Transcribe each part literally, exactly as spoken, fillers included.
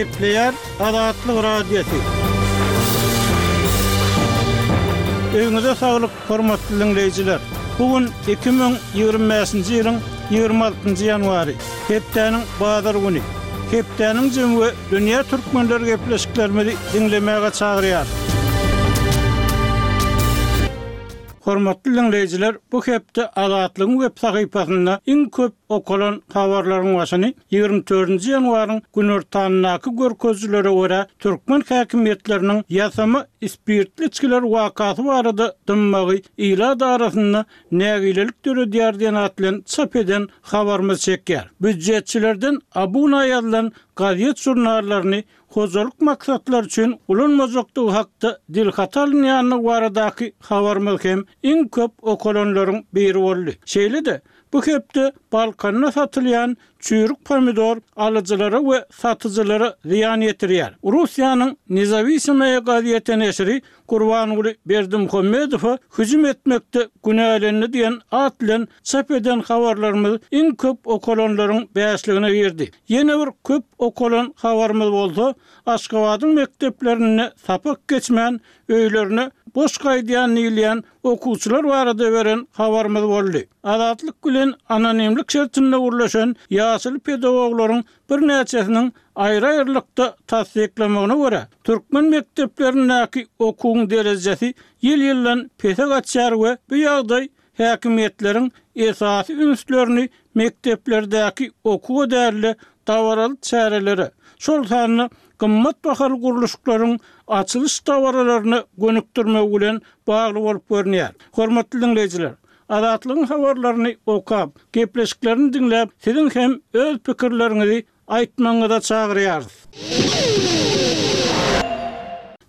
Gepleýär Azatlyk Radiosy. Öýüňize saglyk, hormatly diňleýjiler. Bu gün iki müň ýigrimi bäşinji ýylyň ýigrimi altynjy ýanwary, hepdäniň bazar güni. Hepdäniň jemi we dünýä türkmenleri gepleşiklerimizi diňlemäge çagyrýar. Hormatly diňleýjiler, bu hepde Azatlygyň web sahypasynda iň köp okalan habarlaryň başyny ýigrimi dördünji ýanwaryň günortanyndaky görkezijilere görä türkmen häkimiýetleriniň ýasama spirtli içgiler wakasy barada dymmagy ilat arasynda nägilelik döredýär diýen at bilen çap eden habarymyz çekýär. Býujetçilerden abuna ýazylan gazet žurnallaryny hojalyk maksatlary üçin ulanmajakdygy hakda dilhata alynýandygy baradaky habarymyz hem iň köp okalanlaryň biri boldy. Şeýle-de bu hepde Balkanda satylýan çüýrük pomidor alyjylara we satyjylara zyýan ýetirýär. Russiýanyň Nezawisimaya gazeti neşiri Gurbanguly Berdimuhamedowa hüjüm etmekde günälendi diýen at bilen çap eden habarlarymyz iň köp okalanlaryň bäşligine girdi. Ýene bir köp okalan habarymyz bolsa, Aşgabadyň mekdeplerinde sapak geçmän öýlerine boş gaýdýan diýilýän okuwçylar barada beren habarymyz boldy. Azatlyk bilen anonimlik şertinde gurlaşan ýaşly pedagoglaryň birnäçesiniň aýry-aýrylykda tassyklamagyna görä, türkmen mekdeplerindäki okuwyň derejesi ýyl-ýyldan pese gaçýar we bu ýagdaý häkimiýetleriň esasy ünslerini mekdeplerdäki okuwa däl-de dabaraly çärelere, şol sanda gymmat bahaly gurluşyklaryň açylyş dabaralaryna gönükdirmegi bilen bagly bolup görünýär. Hormatly diňleýjiler, Azatlygyň habarlaryny okap, gepleşiklerini diňläp, siziň hem öz pikirleriňizi aýtmagyňyza çagyrýarys.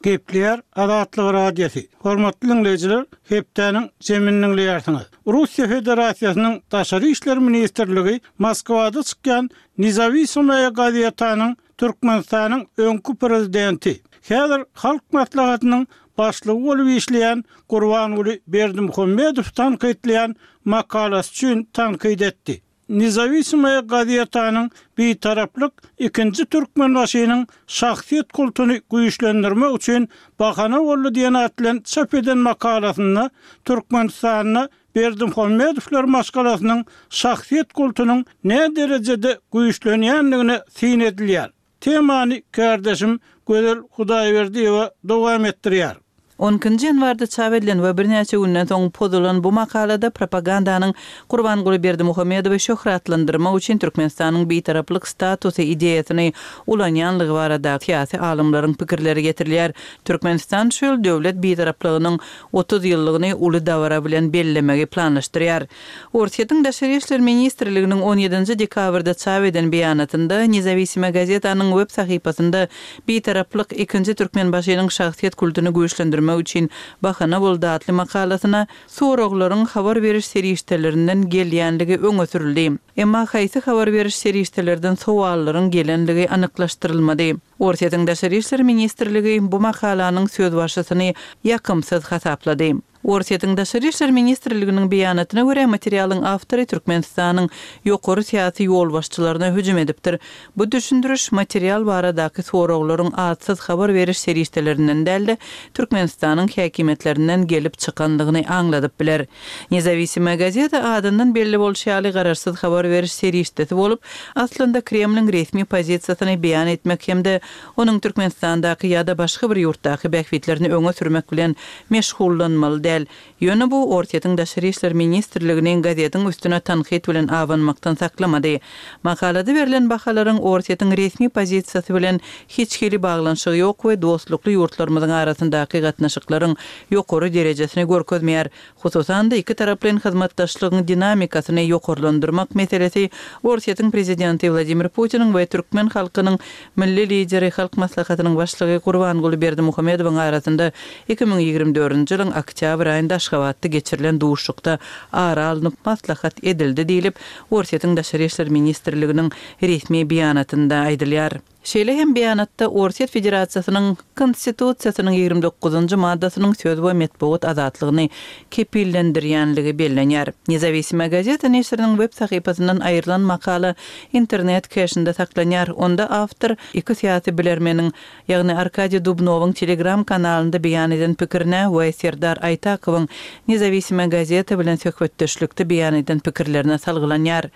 Gepleýär Azatlyk Radiosy. Hormatly diňleýjiler, hepdäniň jemini diňleýärsiňiz. Russiýa Federasiýasynyň Daşary işler ministrligi Moskwada çykýan Nezawisimaya gazetanyň Türkmenistanyň öňki prezidenti, häzir Halk Maslahatynyň başlygy bolup işleýän Gurbanguly Berdimuhamedow tankytlaýan makalasy üçin tankyt etdi. Nezawisimaya gazetanyň Bitaraplyk ikinji Türkmenbaşynyň şahsyýet kultuny güýçlendirmek üçin bahana boldy diýen at bilen çap eden makalasynda Türkmenistanda Berdimuhamedowlar maşgalasynyň şahsyýet kultunyň ne derejede güýçlenýändigine syn edilýär. Temany kärdeşim Gözel Hudaýberdiýewa dowam etdirýär. On ikinji ýanwarda çap edilen we birnäçe günden soň pozulan bu makalada propagandanyň Gurbanguly Berdimuhamedowy şöhratlandyrmak üçin Türkmenistanyň bitaraplyk statusy ideýasyny ulanýanlygy barada syýasy alymlaryň pikirleri getirilýär. Türkmenistan şu ýyl döwlet bitaraplygynyň otuz ýyllygyny uly dabara bilen bellemegi planlaşdyrýar. Orsýetiň Daşary işler ministrliginiň on ýedinji dekabrda çap eden beýanatynda Nezawisima gazetanyň web sahypasynda bitaraplyk ikinji Türkmenbaşynyň şahsyýet kultuny güýçlendirmek üçin bahana boldy atly makalasyna soraglaryň habar beriş serişdelerinden gelýänligi öňe sürüldi. Emma haýsy habar beriş serişdelerden sowallaryň gelenligi anyklaşdyrylmady. Orsýetiň Daşary işler ministrligi bu makalanyň sözbaşysyny ýakymsyz hasaplady. Orsýetiň Daşary işler ministrliginiň beýanatyna görä materialyň awtory Türkmenistanyň ýokary syýasy ýolbaşçylaryna hüjüm edipdir. Bu düşündiriş material baradaky soraglaryň atsyz habar beriş serişdelerinden däl-de Türkmenistanyň häkimiýetlerinden gelip çykanlygyny aňladyp biler. Nezawisima gazeta adyndan belli bolşy ýaly garaşsyz habar beriş serişdesi bolup, aslynda Kremliň resmi pozisiýasyny beýan etmek hem-de onuň Türkmenistandaky ýa-da başga bir ýurtdaky bähbitlerini öňe sürmek bilen meşgullanmaly däl. Ýöne bu Orsýetiň Daşary işler ministrliginiň gazetiň üstüne tankyt bilen abanmakdan saklamady. Makalada berlen bahalaryň Orsýetiň resmi pozisiýasy bilen hiç hili baglanyşygy ýok we dostlukly ýurtlarymyzyň arasyndaky gatnaşyklaryň ýokary derejesini görkezmeýär. Hususan-da iki taraplaýyn hyzmatdaşlygyň dinamikasyny ýokarlandyrmak meselesi Orsýetiň prezidenti Wladimir Putiniň we türkmen halkynyň milli lideri Halk Maslahatynyň başlygy Gurbanguly Berdimuhamedowyň arasynda iki müň ýigrimi dördünji ýylyň oktýabr aýynda Aşgabatda geçirilen duşuşykda ara alnyp maslahat edildi diýlip, Orsýetiň Daşary işler ministrliginiň resmi beýanatynda aýdylýar. Şeýle hem beýanatda Orsýet Federasiýasynyň Konstitusiýasynyň ýigrimi dokuzynjy maddasynyň söz we metbugat azatlygyny kepillendirýänligi bellenýär. Nezawisimaya gazeta neşiriniň web sahypasyndan aýrylan makala internet keşinde saklanýar. Onda awtor iki syýasy bilermeniň, ýagny Arkadiý Dubnowyň Telegram kanalynda beýan eden pikirine we Serdar Aýtakowyň Nezawisimaya gazeta bilen söhbetdeşlikde beýan eden pikirlerine salgylanýar.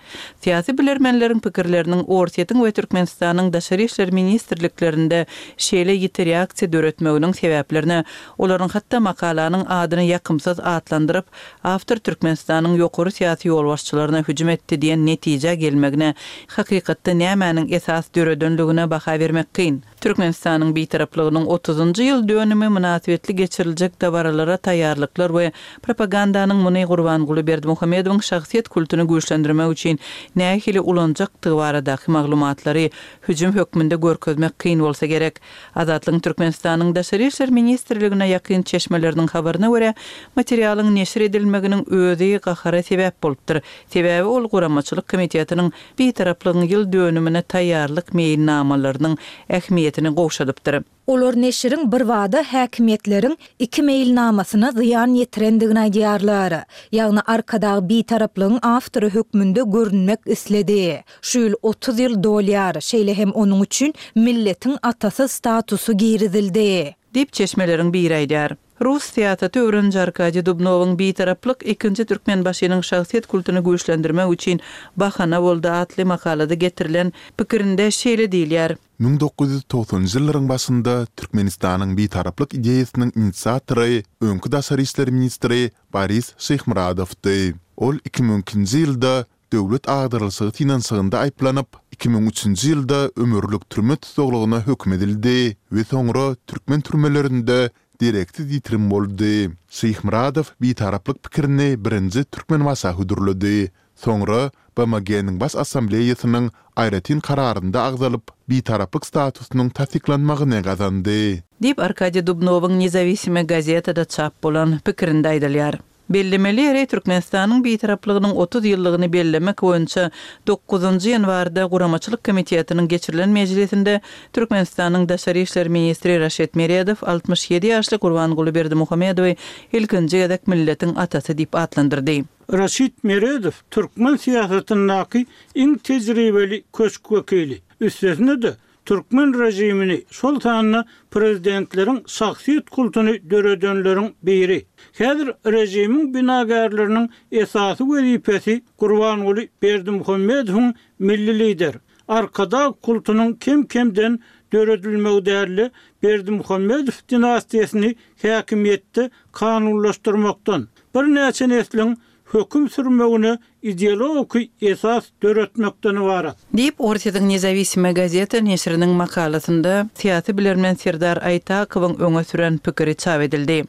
Syýasy bilermenleriň pikirleriniň Orsýetiň we Türkmenistanyň Daşary işler ministrliklerinde şeýle ýiti reaksiýa döretmeginiň sebäplerine olaryň hatda makalanyň adyny ýakymsyz atlandyryp, awtor Türkmenistanyň ýokary syýasy ýolbaşçylaryna hüjüm etdi diýen netijä gelmegine hakykatda nämäniň esas döredenligine baha bermek kyn. Türkmenistanyň Bitaraplygynyň otuzynjy ýyl dönümi mynasybetli geçiriljek dabaralara taýýarlyklar we propagandanyň muny Gurbanguly Berdimuhamedowyň şahsyýet kultuny güýçlendirmek üçin nähili ulanjakdygy baradaky maglumatlary hüjüm hökmünde görkezmek kyn bolsa gerek. Azatlygyň Türkmenistanyň Daşary işler ministrligine ýakyn çeşmeleriniň habaryna görä, materialyň neşir edilmeginiň özi gahara sebäp bolupdyr. Sebäbi ol guramaçylyk komitetiniň Bitaraplygyň ýyl dönümine taýýarlyk meýilnamalarynyň ähmiýetini gowşadypdyr. Olar neşiriň birbada häkimiýetleriň iki meýilnamasyna zyýan ýetirendigini aýdýarlar. Ýagny Arkadag Bitaraplygyň awtory hökmünde görünmek isledi. Şu ýyl otuz ýyl dolýar, şeýle hem onuň üçin milletiň atasy statusy girizildi. Diýip çeşmeleriň biri aýdýar. Rus syýasaty öwreniji Arkadiý Dubnowyň Bitaraplyk ikinji Türkmenbaşynyň şahsyýet kultuny güýçlendirmek üçin bahana boldy atly makalada getirilen pikirinde şeýle diýilýär. Müň dokuz ýüz togsanynjy ýyllaryň başynda Türkmenistanyň Bitaraplyk ideýasynyň inisiatory öňki daşary işler ministri Boris Şyhmyradowdy. Ol iki müň ikinji ýylda döwlet agdarylyşygy synanyşygynda aýyplanyp, iki müň üçünji ýylda ömürlik türme tussaglygyna höküm edildi we soňra türkmen türmelerinde dereksiz ýitirim boldy. Şyhmyradow Bitaraplyk pikirini birinji Türkmenbaşa hödürledi. Soňra B M G-niň Baş Assambleýasynyň aýratyn kararynda agzalyp, Bitaraplyk statusynyň tassyklanmagyny gazandy. Diýip Arkadiý Dubnowyň Nezawisimaya gazetada çap bolan pikirinde aýdylýar. Bellemeli ýeri Türkmenistanyň Bitaraplygynyň otuz ýyllygyny bellemek boýunça dokuzynjy ýanwarda Guramaçylyk komitetiniň geçirilen mejlisinde Türkmenistanyň Daşary işler ministri Raşid Meredow altmyş ýedi ýaşly Gurbanguly Berdimuhamedowy ilkinji gezek milletiň atasy diýip atlandyrdy. Raşid Meredow türkmen syýasatyndaky iň tejribeli köşk wekili. Üstesine-de türkmen rejimini, şol sanda prezidentleriň şahsyýet kultuny döredenleriň biri. Häzir rejimiň binagärleriniň esasy wezipesi Gurbanguly Berdimuhamedowyň milli lider, Arkadag kultunyň kem-kemden döredilmegi däli Berdimuhamedow dinastiýasyny häkimiýetde kanunlaşdyrmakdan, birnäçe nesliň höküm sürmegine ideologik esas döretmekden ibarat. Diýip Orsýetiň Nezawisimaya gazeta neşiriniň makalasynda syýasy bilermen Serdar Aýtakowyň öňe süren pikiri çap edildi.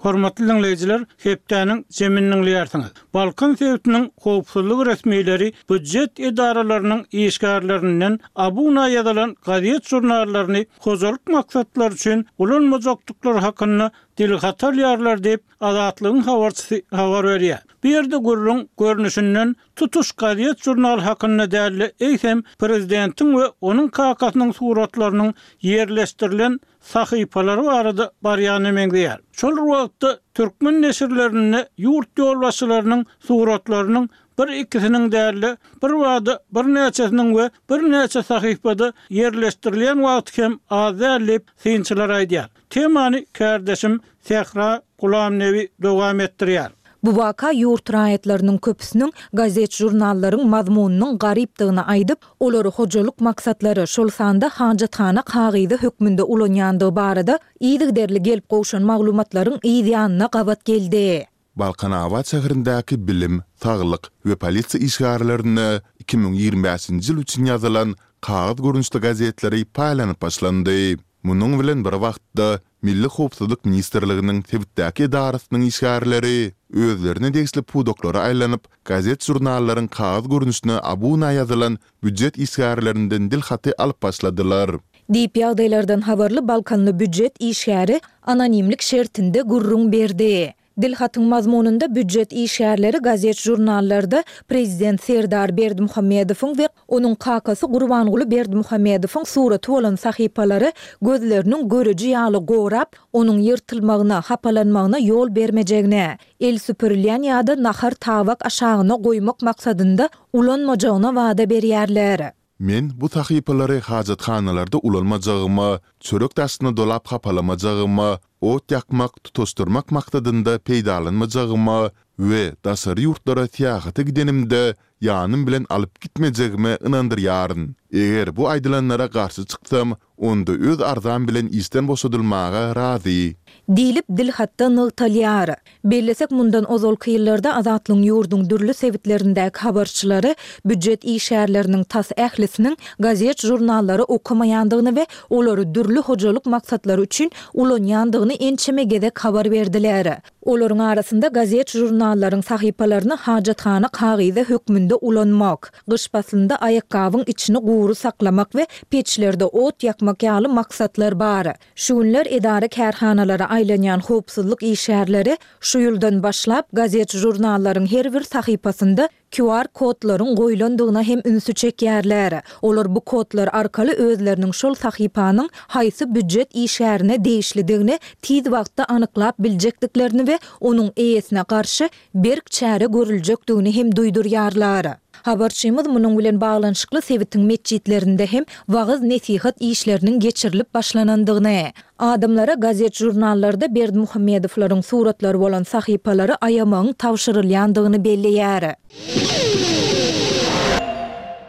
Hormatly dinleýjiler, hepdäniň jemini dinleýärsiňiz. Balkan sebitiniň howpsuzlyk resmileri býujet edaralarynyň işgärlerinden abuna ýazylan gazet jurnallaryny hojalyk maksatlary üçin ulanmajakdyklary hakynda dilhat alýarlar diýip Azatlygyň habarçysy habar berýär. Bu ýerde gürrüň görnüşinden tutuş gazet jurnal hakynda däli eýsem prezidentiň we onuň kakasynyň suratlarynyň ýerleşdirilen sahypalary barada barýany meňzeýär. Şol wagtda türkmen neşirlerinde ýurt ýolbaşçylarynyň suratlarynyň bir ikisiniň däli bir wada bir näçesiniň we bir näçe sahypada ýerleşdirilen wagty hem az däl diýip synçylar aýdýar. Temany kardeşim Sähra Gulamnebi dowam etdirýär. Bu waka ýurt raýatlarynyň köpüsiniň gazet jurnallaryň mazmunynyň garypdygyny aýdyp, olary hojalyk maksatlary, şol sanda hajathana kagyzy hökmünde ulanýandygy barada yzygiderli gelip gowşan maglumatlaryň yz ýanyna gabat geldi. Balkanabat şäherindäki bilim, saglyk we polisiýa işgärlerine iki müň ýigrimi bäşinji ýyl üçin ýazylan kagyz görnüşli gazetleri paýlanyp başlandy. Munuň bilen bir wagtda Milli Howpsuzlyk Ministrliginiň sebitdäki edarasynyň işgärleri özlerine degişli pudaklara aýlanyp, gazet-jurnallaryň kagyz görnüşine abuna ýazylan býujet işgärlerinden dil haty alyp başladylar. Diýip ýagdaýlardan habarly Balkanly býujet işgäri anonimlik şertinde gürrüň berdi. Dilhatyň mazmunynda býujet işgärleri gazet-žurnallarda prezident Serdar Berdimuhamedowyň we onuň kakasy Gurbanguly Berdimuhamedowyň suraty bolan sahypalary gözleriniň göreji ýaly gorap, onuň ýyrtylmagyna, hapalanmagyna ýol bermejegine, el süpürilýän ýa-da nahar tabak aşagyna goýmak maksadynda ulanmajagyna wada berýärler. Men bu sahypalary hajathanalarda ulanmajagyma, çörek daşyna dolap hapalamajagymä, ot ýakmak, tutaşdyrmak maksadynda peýdalanmajagyma we daşary ýurtlara syýahata gidenimde ýanym bilen alyp gitmejegime ynandyrýaryn. Eger bu aýdylanlara garşy çyksam, onda öz arzam bilen işden boşadylmaga razy. Diýlip, dilhatda nygtalýar. Bellesek, mundan ozalky ýyllarda Azatlygyň ýurduň dürli sebitlerindäki habarçylary býujet işgärleriniň tas ählisiniň gazet-žurnallary okamaýandygyny we olary dürli hojalyk maksatlary üçin ulanýandygyny ençeme gezek habar berdiler. Olaryň arasynda gazet-žurnallaryň sahypalaryny hajathana kagyzy hökmünde ulanmak, gyş paslynda aýakgabyň içini gury saklamak we peçlerde ot ýakmak ýaly maksatlar bar. Şu günler edara-kärhanalara aýlanýan howpsuzlyk işgärleri şu ýyldan başlap gazet-žurnallaryň her bir sahypasynda Q R kodlaryň goýlandygyna hem ünsi çekýärler. Olar bu kodlar arkaly özleriniň şol sahypanyň haýsy býujet işgärine degişlidigini tiz wagtda anyklap biljekdiklerini we onuň eýesine garşy berk çäre görüljekdigini hem duýdurýarlar. Habarçymyz munuň bilen baglanyşykly sebitiň metjitlerinde hem wagyz-nesihat işleriniň geçirilip başlanandygyny, adamlara gazet-žurnallarda Berdimuhamedowlaryň suratlary bolan sahypalary aýamagyň tabşyrylýandygyny belleýär.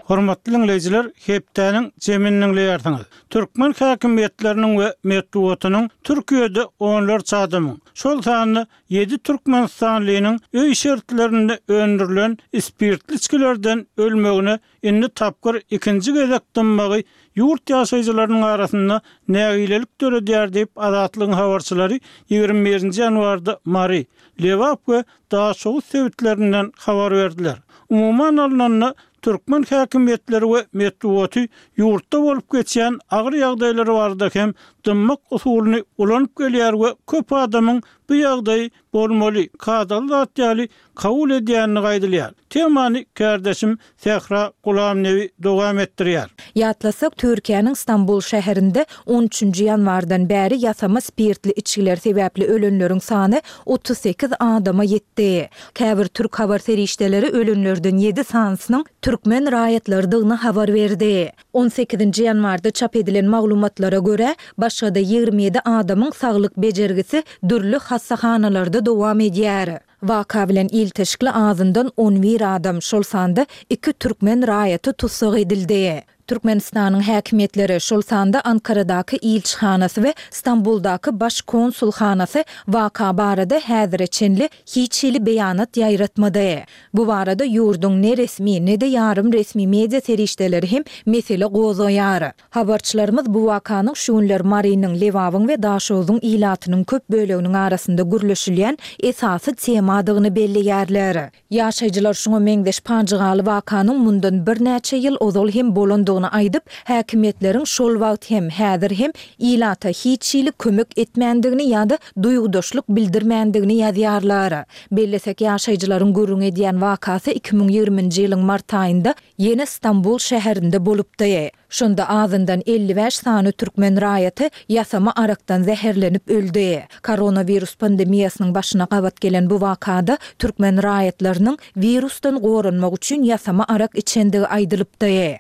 Hormatly dinleýjiler, hepdäniň jemini dinleýärsiňiz. Türkmen häkimiýetleriniň we metbugatynyň Türkiýede onlarça adamyň, şol sanda ýedi türkmenistanlynyň öý şertlerinde öndürilen spirtli içgilerden ölmegine indi tapgyr ikinji gezek dymmagy ýurt ýaşaýjylarynyň arasynda nägilelik döredýär diýip Azatlygyň habarçylary ýigrimi birinji ýanwarda Mary, Lebap we Daşoguz sebitlerinden habar berdiler. Umuman alnanda türkmen häkimiýetleri we metbugaty ýurtda bolup geçýän agyr ýagdaýlar barada hem dymmak usulyny ulanyp gelýär we köp adamyň bu ýagdaýy bolmaly, kadaly zat ýaly kabul edýänini aýdylýar. Temany kärdeşim Sähra Gulamnebi dowam etdirýär. Ýatlasak, Türkiýäniň Stambul şäherinde on üçünji ýanwardan bäri ýasama spirtli içgiler sebäpli ölenleriň sany otuz sekiz adama ýetdi. Käbir türk habar serişdeleri ölenlerden ýedi sanysynyň türkmen raýatlarydygyny habar berdi. On sekizinji ýanwarda çap edilen maglumatlara görä, başga-da ýigrimi ýedi adamyň saglyk bejergisi dürli hassahanalarda dowam edýär. Waka bilen ilteşikli azyndan on bir adam, şol sanda iki türkmen raýaty tussag edildi. Türkmenistanyň häkimiýetleri, şol sanda Ankaradaky ilçihanasy we Stambuldaky baş konsulhanasy waka barada häzire çenli hiç hili beýanat ýaýratmady. Bu barada ýurduň ne resmi, ne-de ýarym resmi media serişdeleri hem mesele gozgaýar. Habarçylarymyz bu wakanyň şu günler Marynyň, Lebabyň we Daşoguzyň ilatynyň köp böleginiň arasynda gürleşilýän esasy temadygyny belleýärler. Ýaşaýjylar şuňa meňzeş pajygaly wakanyň mundan birnäçe ýyl ozal hem bolandygyny aýdyp, häkimiýetleriň şol wagt hem, häzir hem ilata hiç hili kömek etmändigini ýa-da duýgudaşlyk bildirmändigini ýazýarlar. Bellesek, ýaşaýjylaryň gürrüň edýän wakasy iki müň ýigriminji ýylyň mart aýynda ýene Stambul şäherinde bolupdy. Şonda azyndan elli bäş sany türkmen raýaty ýasama arakdan zäherlenip öldi. Koronawirus pandemiýasynyň başyna gabat gelen bu wakada türkmen raýatlarynyň wirusdan goranmak üçin ýasama arak içendigi aýdylypdy.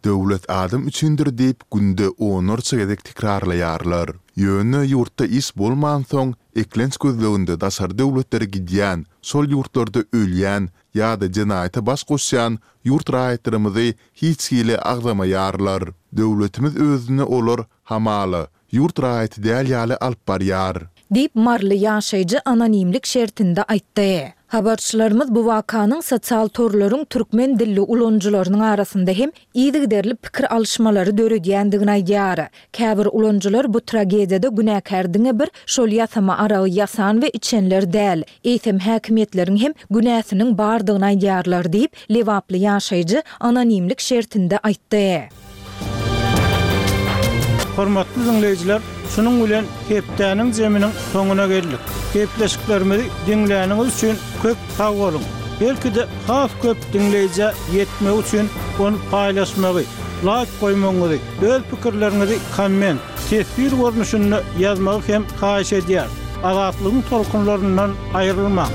Döwlet adam üçindir diýip günde onlarça gezek tekrarlaýarlar. Ýöne ýurtda iş bolmansoň, eklenç gözleginde daşary döwletlere gidýän, şol ýurtlarda ölýän ýa-da jenaýata baş goşýan ýurt raýatlarymyzy hiç hili agzamaýarlar. Döwletimiz özüni olar hamala ýurt raýaty däl ýaly alyp barýar. Diýip, maryly ýaşaýjy anonimlik şertinde aýtdy. Habarçylarymyz bu wakanyň sosial torlaryň türkmen dilli ulanyjylarynyň arasynda hem yzygiderli pikir alyşmalary döredýändigini aýdýar. Käbir ulanyjylar bu tragediýada günäkär diňe bir şol ýasama aragy ýasan we içenler däl, eýsem häkimiýetleriň hem günäsiniň bardygyny aýdýarlar diýip, Lebaply ýaşaýjy anonimlik şertinde aýtdy. Hormatly diňleýjiler, şunuň bilen hepdäniň zeminiň soňuna geldik. Gepleşiklerimizi diňläniňiz üçin köp sag boluň. Belki-de has köp diňleýjä ýetmek üçin ony paýlaşmagy, like goýmagyňyzy, öz pikirleriňizi komment, teswir görnüşinde ýazmagy hem haýyş edýär. Azatlygyň tolkunlaryndan aýrylmaň.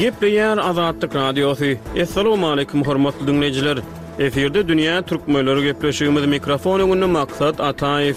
Gepleýär Azatlyk Radiosy. Assalamualaikum hormatly dinleýjiler. Efirde Dünýä Türkmenleri gepleşigimiz mikrofon öňünde Maksat Ataýew.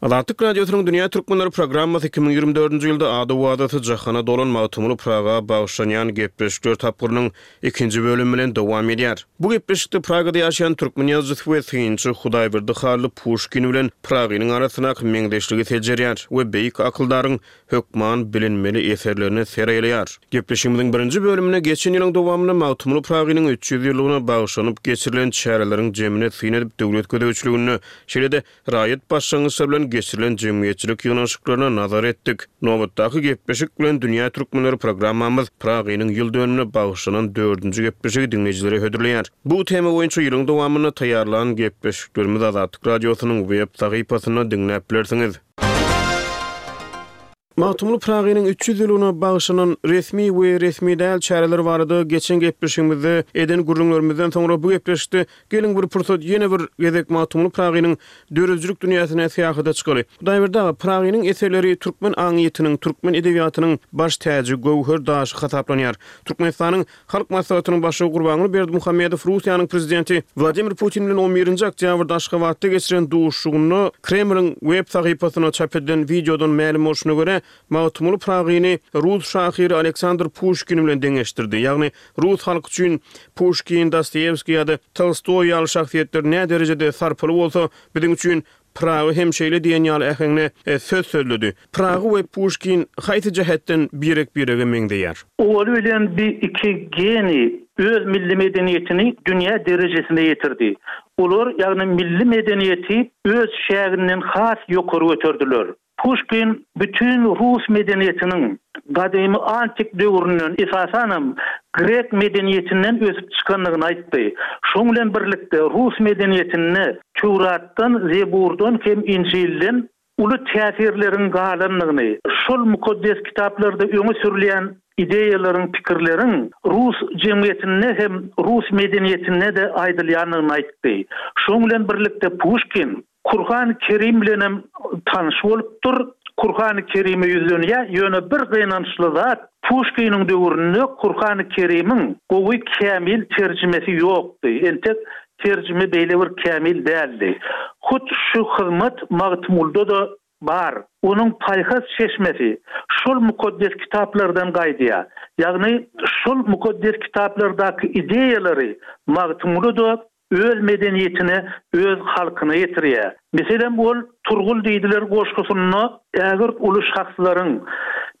Azatlyk Radiosynyň Dünýä Türkmenleri programmasy iki müň ýigrimi dördünji ýylda ady-owazasy jahana dolan Magtymguly Praga bagyşlanýan gepleşikler tapgyrynyň ikinji bölümi bilen dowam edýär. Bu gepleşikde Pragada ýaşaýan türkmen ýazyjysy we synçy Hudaýberdi Hally Puşkin bilen Pragynyň arasyndaky meňzeşligi seljerýär we beýik akyldaryň hökman bilinmeli eserlerine ser aýlaýar. Gepleşigimiziň birinji bölüminde geçen ýylyň dowamynda Magtymguly Pragynyň üç ýüz ýyllygyna bagyşlanyp geçirilen çäreleriň jemine syn edip döwlet gözegçiliginde, şeýle-de raýat başlangyçlary bilen geçirilen jemgyýetçilik ýygnanyşyklaryna nazar etdik. Nobatdaky gepleşik bilen Dünýä Türkmenleri programmamyz Pragynyň ýyl dönümine bagyşlanan dördünji gepleşigi diňleýjilere hödürleýär. Bu tema boýunça ýylyň dowamynda taýýarlan gepleşiklerimizi Azatlyk Radiosynyň web sahypasynda diňläp bilersiňiz. Magtymguly Pragynyň üç ýüz ýyllygyna bagyşlanan resmi we resmi däl çäreler barada geçen gepleşigimizde eden gürrüňlerimizden soňra bu gepleşikde geliň bir pursat ýene bir gezek Magtymguly Pragynyň döredijilik dünýäsine syýahata çykaly. Hudaýberdi aga, Pragynyň eserleri türkmen aňyýetiniň, türkmen edebiýatynyň baş täji, göwher daşy hasaplanýar. Türkmenistanyň Halk Maslahatynyň Başlygy Gurbanguly Berdimuhamedow Russiýanyň Prezidenti Wladimir Putin bilen on birinji oktýabrda Aşgabatda geçiren duşuşygynda Kremliň web sahypasynda çap edilen wideodan mälim bolşuna görä, Magtymguly Pragyny rus şahyry Aleksandr Puşkin bilen deňeşdirdi. Ýagny rus halky üçin Puşkin, Dostoýewskiý ýa-da Tolstoý ýaly şahsyýetler näderejede sarpaly bolsa, biziň üçin Pragy hem şeýle diýen ýaly äheňde söz sözledi. Pragy we Puşkin haýsy jähetden birek-birege meňzeýär? Owaly bilen bi iki geniý öz milli medeniýetini dünýä derejesine ýetirdi. Olar, ýagny milli medeniýeti öz çäginden has ýokary göterdiler. Puşkin bütin rus medeniýetiniň gadymy antik döwründen, esasanam grek medeniýetinden ösüp çykandygyny aýtdy. Şoň bilen birlikde rus medeniýetinde Töwratdan, Zeburdan hem Injilden uly täsirleriň galandygyny, şol mukaddes kitaplarda öňe sürülýän ideýalaryň, pikirleriň rus jemgyýetinde hem rus medeniýetinde-de aýdylýandygyny aýtdy. Şoň bilen birlikde Puşkin Kurhan Kerim bilenem tanyş bolupdyr. Kurhan Kerime ýüzlenýär, ýöne bir gynançly zat, Puşkiniň döwründe Kurhan Kerimiň gowy kämil terjimesi ýokdy. Entek terjime beýle bir kämil däldi. Hut şu hyzmat Magtymgulyda-da bar. Onuň paýhas çeşmesi şol mukaddes kitaplardan gaýdýar. Ýagny şol mukaddes kitaplardaky ideýalary Magtymguly-da öz medeniýetine, öz halkyna ýetirýär. Meselem, ol Turgul diýdiler goşgusynda ägirt uly şahslaryň,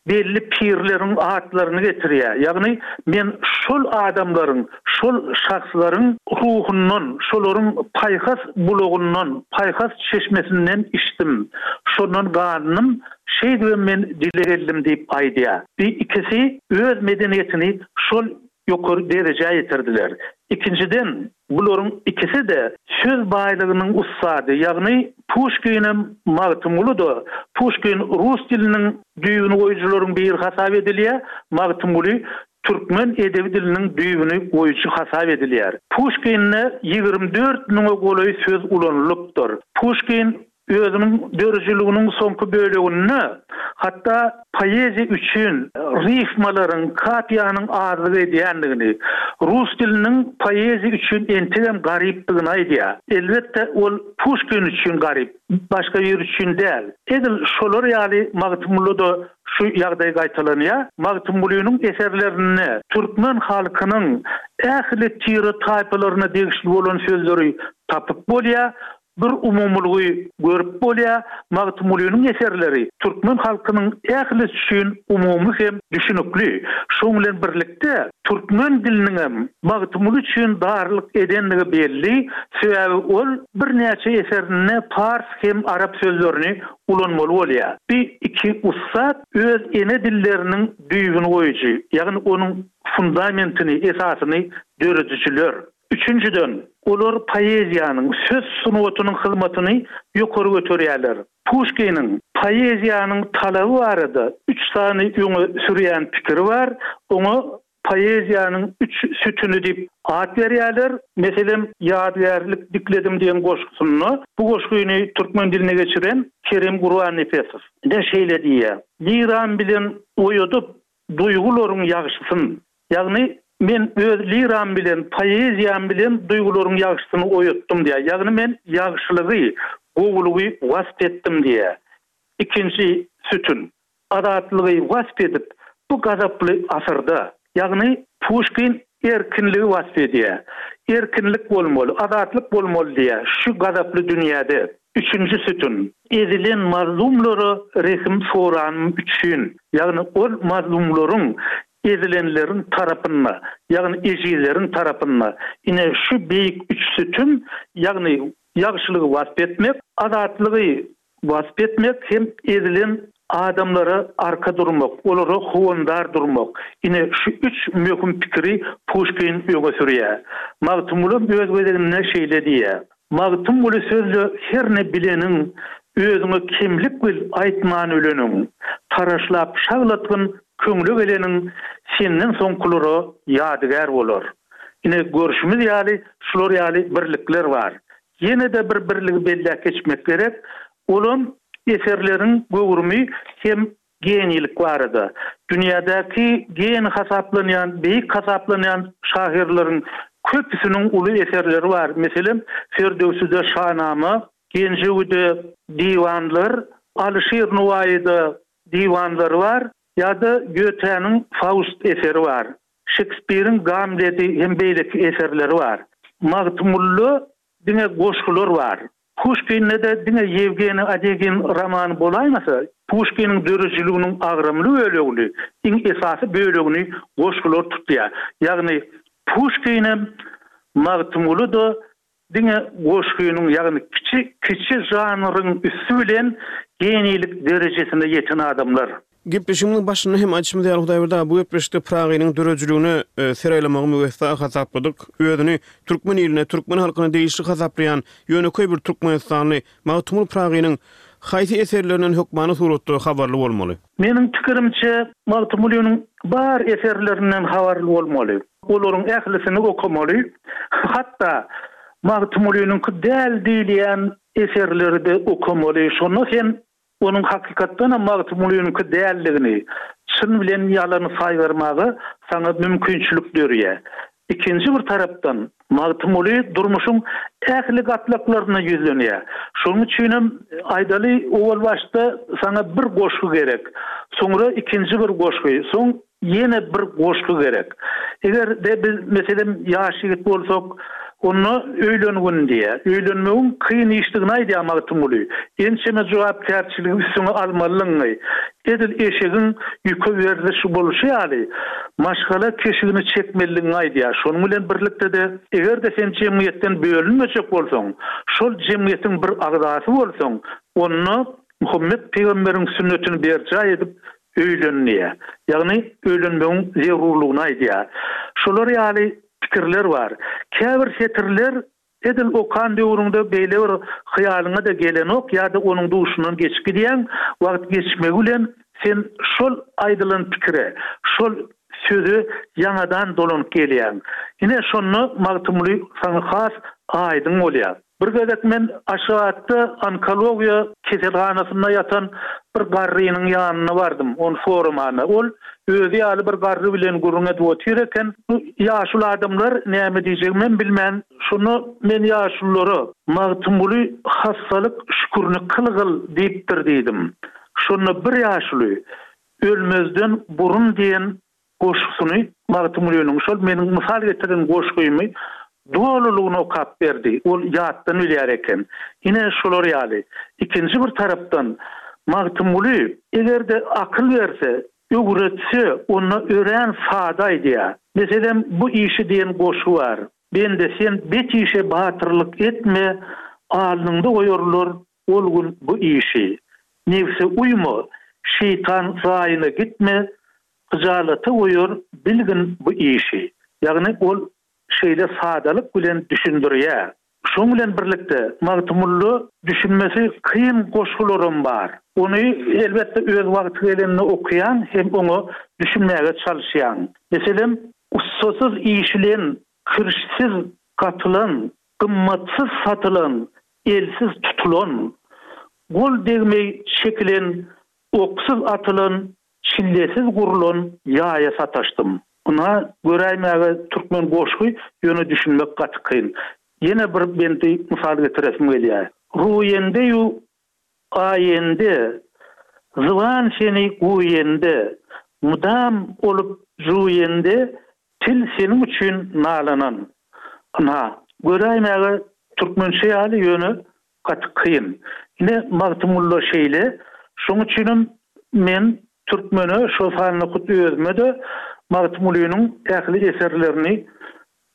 belli pirleriň atlaryny getirýär. Ýagny men şol adamlaryň, şol şahslaryň ruhundan, şolaryň paýhas bulagyndan, paýhas çeşmesinden içdim. Şondan gandym, şeýdibem men dile geldim diýip aýdýar. Bu ikisi öz medeniýetini şol ýokary derejä ýetirdiler. Ikinjiden, bularyň ikisi-de söz baýlygynyň ussady, ýagny Puşkinem, Magtymguly-da. Puşkin rus diliniň düýbüni goýujylaryň biri hasap edilýär, Magtymguly türkmen edebi diliniň düýbüni goýujy hasap edilýär. Puşkinde ýigrimi dört müňe golaý söz ulanylypdyr. Puşkin özüniň döredijiliginiň soňky böleginde hatda poeziýa üçin rifmalaryň, kapiýanyň azlyk edýändigini, rus diliniň poeziýa üçin entegem garypdygyny aýdýar. Elbetde, ol Puşkin üçin garyp, başga biri üçin däl. Edil şolar ýaly Magtymgulyda şu ýagdaý gaýtalanýar. Magtymgulynyň eserlerinde türkmen halkynyň ähli tire-taýpalaryna degişli bolan sözleri tapyp bolýar. bir umumylygy görüp bolýar, Magtymgulynyň eserleri türkmen halkynyň ählisi üçin umumy hem düşünikli. Şoň bilen birlikde, türkmen diliniňem Magtymguly üçin darlyk edendigi belli, sebäbi ol birnäçe eserinde pars hem arap sözlerini ulanmaly bolýar. Bu iki ussat öz ene dilleriniň düýbüni goýujy, ýagny onuň fundamentini, esasyny döredijiler. Üçünjiden, olar poeziýanyň, söz sungatynyň hyzmatyny ýokary göterýärler. Puşkiniň poeziýanyň talaby barada üç sany öňe sürýän pikiri bar, oňa poeziýanyň üç sütüni diýip at berýärler. Meselem, Ýadygärlik dikledim diýen goşgusynda, bu goşgyny türkmen diline geçiren Kerim Gurbannepesow ine şeýle diýýär, Liram bilen oýadyp duýgularyň ýagşysyn, ýagny men öz liram bilen, poeziýam bilen duýgularyň ýagşysyny oýatdym diýýär. Ýagny men ýagşylygy, gowulygy wasp etdim diýýär. Ikinji sütün, azatlygy wasp edip, bu gazaply asyrda, ýagny Puşkin erkinligi wasp edýär. Erkinlik bolmaly, azatlyk bolmaly diýýär, şu gazaply dünýäde. Üçünji sütün, ezilen mazlumlara rehim soranym üçin, ýagny ol mazlumlaryň, ezilenleriň tarapynda, ýagny ejizleriň tarapynda. Ine, şu beýik üç sütün, ýagny ýagşylygy wasp etmek, azatlygy wasp etmek hem ezilen adamlara arka durmak, olara howandar durmak. Ine, şu üç möhüm pikiri Puşkin öňe sürýär. Magtymgulam öz gezeginde şeýle diýýär, Magtymguly sözle her ne bileniň, Özüňe kemlik bil aýtman öleniň. Taraşlap şaglatgyn köňle geleniň, Senden soňkulara ýadygär bolar. Ine, görşümiz ýaly, şular ýaly birlikler bar. Ýene-de bir birligi belläp geçmek gerek, olam eserleriň göwrümi hem geniýlik barada. Dünýädäki geniý hasaplanýan, beýik hasaplanýan şahyrlaryň köpüsiniň uly eserleri bar. Meselem, Ferdöwside Şanama, Genjewide diwanlar, Alyşir Nowaýyda diwanlary bar ýa-da Gýotäniň Faust eseri bar. Şekspiriň Gamleti hem beýleki eserleri bar. Magtymgulyda diňe goşgular bar. Puşkinde-de diňe Ýewgeniý Onegin romany bolaýmasa, Puşkiniň döredijiliginiň agramly bölegini, iň esasy bölegini goşgular tutýar. Ýagny Puşkinem, Magtymguly-da diňe goşgynyň, ýagny kiçi kiçi žanryň üsti bilen geniýlik derejesine ýeten adamlar. Gepleşigimiziň başynda hem aýdyşymyz ýaly, Hudaýberdi aga, bu gepleşikde Pyragynyň döredijiligine ser aýlamagy müwessa hasapladyk. Özüni türkmen iline, türkmen halkyna degişli hasaplaýan ýönekeý bir türkmenistanly Magtymguly Pyragynyň haýsy eserlerinden hökmany suratda habarly bolmaly? Meniň pikirimçe, Magtymgulynyň bar eserlerinden habarly bolmaly. Olaryň ählisini okamaly. Hatda Magtymgulynyňky däl diýilýän eserleri-de okamaly. Şonda sen Onuň hakykatdanam Magtymgulynyňky däldigini, çyn bilen ýalany saýgarmaga saňa mümkinçilik dörýär. Ikinji bir tarapdan, Magtymguly durmuşyň ähli gatlaklaryna ýüzlenýär. Şonuň üçinem, aýdaly, owal başda saňa bir goşgy gerek, soňra ikinji bir goşgy, soň Ýene bir goşgy gerek. Eger-de biz, meselem, ýaş ýigit bolsak, onda öýlengin diýýär. Öýlenmegiň kyn işdigini aýdýar Magtymguly. Ençeme jogapkärçiligi üstüňe almalydygyňy, edil eşegiň ýüke werziş bolşy ýaly, maşgala keşigini çekmelidigiňi aýdýar. Şonuň bilen birlikde-de, eger-de sen jemgyýetden bölünmejek bolsaň, şol jemgyýetiň bir agzasy bolsaň, onda Muhammet pygamberiň sünnetini berjaý edip, Öýlen diýýär. Ýagny öýlenmegiň zerurlygyny aýdýar. Şolar ýaly pikirler bar. Käbir setirler edil okan döwrüňde beýle bir hyýalyňa-da gelenok ýa-da onuň duşundan geçip gidýäň, wagt geçmegi bilen sen şol aýdylan pikire, şol söze ýaňadan dolanyp gelýäň. Ine şonda Magtymguly saňa has aýdyň bolýar. Bir gezek men Aşgabatda onkologiýa keselhanasynda ýatan bir garrynyň ýanyna bardym, ony soramana. Ol özi ýaly bir garry bilen gürrüň edip otyr eken. Bu ýaşuly adamlar näme diýjegimem bilmän, şonda men ýaşululara, Magtymguly hassalyk şükürini kylgyl diýipdir diýdim. Şonda bir ýaşuly, Ölmezden burun diýen goşgusyny Magtymgulynyň şol meniň mysal getiren goşgymy dolulygyna okap berdi. Ol ýatdan bilýär eken. Ine şolar ýaly. Ikinji bir tarapdan Magtymguly eger-de akyl berse, öwretse, onda örän sada aýdýar. Meselem, Bu işi diýen goşgy bar. Bende sen bet işe batyrlyk etme, alnyňda goýarlar ol gün bu işi. Nebse uýma, şeýtan zaýyna gitme, hyjalata goýar bilgin bu işi. Ýagny ol şeýle sadalyk bilen düşündirýär. Şoň bilen birlikde Magtymgulyda düşünmesi kyn goşgularam bar. Ony elbetde öz wagty gelende okaýaň hem oňa düşünmäge çalyşýaň. Meselem, ussasyz işilen, kirişsiz gatylan, gymmatsyz satylan, elsiz tutulan, gol degmeý çekilen, oksuz atylan, çillesiz gurlan ýaýa sataşdym. Ynha, göräýmäge türkmen goşgy, ýöne düşünmek gaty kyn. Ýene bir bendi mysal getiresim gelýär. Ruýende-ýu aýende, zyban seni guýende, mydam olup juýende, til seniň üçin nalanan. Ynha, göräýmäge türkmençe ýaly, ýöne gaty kyn. Ine, Magtymgulyda şeýle. Şoň üçinem men türkmene, şol sanda hut özüme-de Magtymgulynyň ähli eserlerini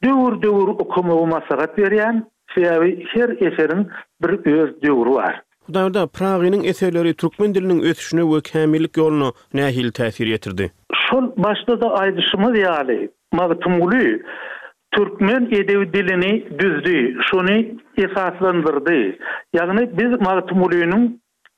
döwür-döwür okamagy maslahat berýän, sebäbi her eseriň bir öz döwri bar. Hudaýberdi aga, Pyragynyň eserleri türkmen diliniň ösüşine we kämillik ýoluna nähili täsir ýetirdi? Şol başda-da aýdyşymyz ýaly, Magtymguly türkmen edebi dilini düzdi, şony esaslandyrdy. Ýagny biz Magtymgulynyň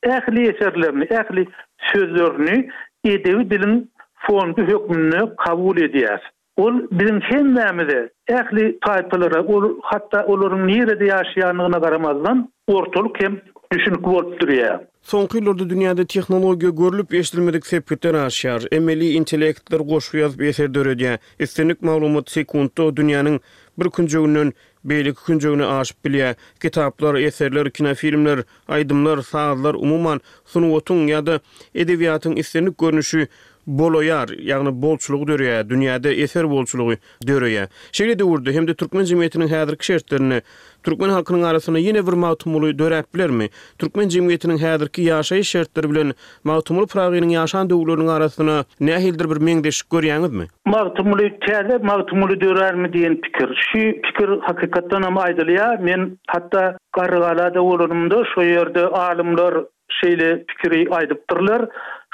ähli eserlerini, ähli sözlerini edebi diliň fondy hökmünde kabul edýäris. Ol biziň hemmämize, ähli taýpalara, ol hatda olaryň nirede ýaşaýandygyna garamazdan, ortalyk hem düşünikli bolup durýar. Soňky ýyllarda dünýäde tehnologiýa görlüp-eşidilmedik sepgitler aşýar. Emeli intellektler goşgy ýazyp eser döredýär. Islendik maglumat sekuntda dünýäniň bir künjeginden beýleki künjegine aşyp bilýär. Kitaplar, eserler, kinofilmler, aýdymlar, sazlar, umuman, sungatyň ýa-da edebiýatyň islendik görnüşi bolaýar, ýagny bolçulygy döreýär, dünýäde eser bolçulygy döreýär. Şeýle döwürde hem-de türkmen jemgyýetiniň häzirki şertlerinde türkmen halkynyň arasynda ýene bir Magtymguly döräp bilermi? Türkmen jemgyýetiniň häzirki ýaşaýyş şertleri bilen Magtymguly Pyragynyň ýaşan döwürleriniň arasynda nähilidir bir meňzeşlik görýäňizmi? Magtymguly, täze Magtymguly dörärmi diýen pikir. Şu pikir hakykatdan hem aýdylýar. Men hatda Garrygalada bolanymda şo ýerde alymlar şeýle pikiri aýdypdyrlar.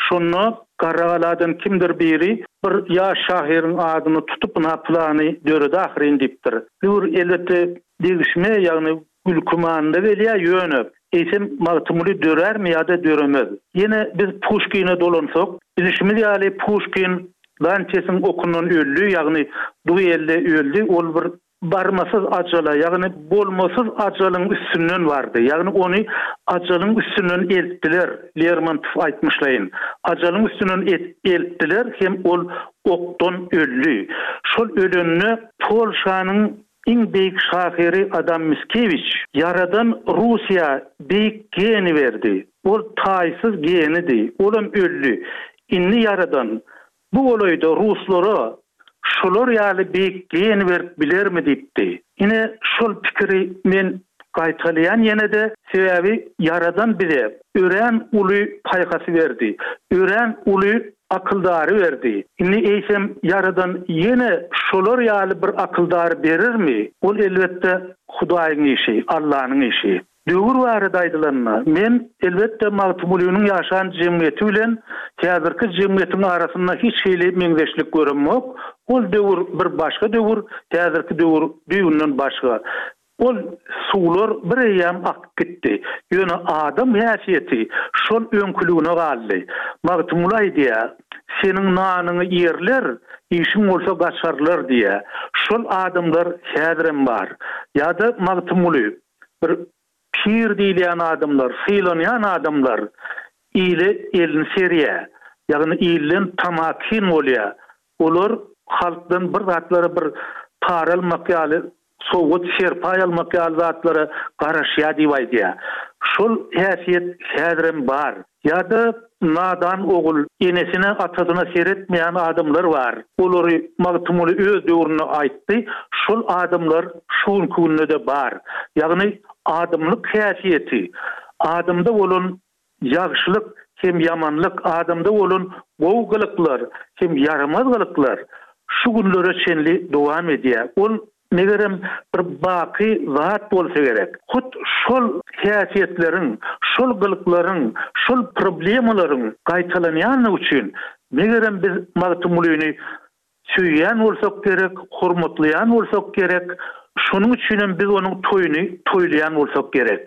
Şonda Garrygaladan kimdir biri bir ýaş şahyryň adyny tutup, ynha pylany döredi ahyryn diýipdir. Bu bir elbetde degişme, ýagny gülki manyda gelýär, ýöne eýsem Magtymguly dörärmi ýa-da döremez? Ýene biz Puşkine dolansak, bilişimiz ýaly Puşkin Dantesiň okundan öldi, ýagny duelde öldi, ol bir barmasyz ajala, ýagny bolmasyz ajalyň üstünden bardy. Ýagny ony ajalyň üstünden eltdiler, Lermontow aýtmyşlaýyn. Ajalyň üstünden eltdiler hem ol okdan öldi. Şol ölende Polşanyň iň beýik şahyry Adam Miskewiç Ýaradan Russiýa beýik geni berdi. Ol taýsyz genidi. Olam öldi. Indi Ýaradan Bu golaýda ruslara şular ýaly beýik geni berip bilermi diýipdi. Ine, şol pikiri men gaýtalaýan ýene-de, sebäbi Ýaradan bize örän uly paýhasy berdi, örän uly akyldary berdi. Indi eýsem Ýaradan ýene şolar ýaly bir akyldary berermi? Ol elbetde Hudaýyň işi, Allanyň işi. Döwür barada aýdylanda, men, elbetde, Magtymgulynyň ýaşan jemgyýeti bilen häzirki jemgyýetiň arasynda hiç hili meňzeşlik göremok. Ol döwür bir başga döwür, häzirki döwür düýbünden başga. Ol suwlar bir eýýäm akyp gitdi. Ýöne adam häsiýeti şol öňküligine galdy. Magtymguly aýdýar, Seniň nanyňy iýerler, işiň bolsa gaçarlar diýýär. Şol adamlar häzirem bar. Ýa-da Magtymguly, Bir pir diýilýän adamlar, sylanýan adamlar ile elini serýär. Ýagny ilden tamakin bolýar. Olar halkdan bir zatlara bir para almak ýaly, sowgat, serpaý almak ýaly zatlara garaşýar diýip aýdýar. Şol häsiýet häzirem bar. Ýa-da nadan ogul, enesine, atasyna seretmeýän adamlar bar. Olary Magtymguly öz döwründe aýtdy, şol adamlar şu günki günde-de bar. Ýagny adamlyk häsiýeti, adamda bolan ýagşylyk hem ýamanlyk, adamda bolan gowy gylyklar hem ýaramaz gylyklar şu günlere çenli dowam edýär. Ol Megerem, bir baky zat bolsa gerek. Hut şol häsiýetleriň, şol gylyklaryň, şol problemalaryň gaýtalanýanlygy üçin, megerem, biz Magtymgulyny söýýän bolsak gerek, hormatlaýan bolsak gerek, şonuň üçinem biz onuň toýuny toýlaýan bolsak gerek.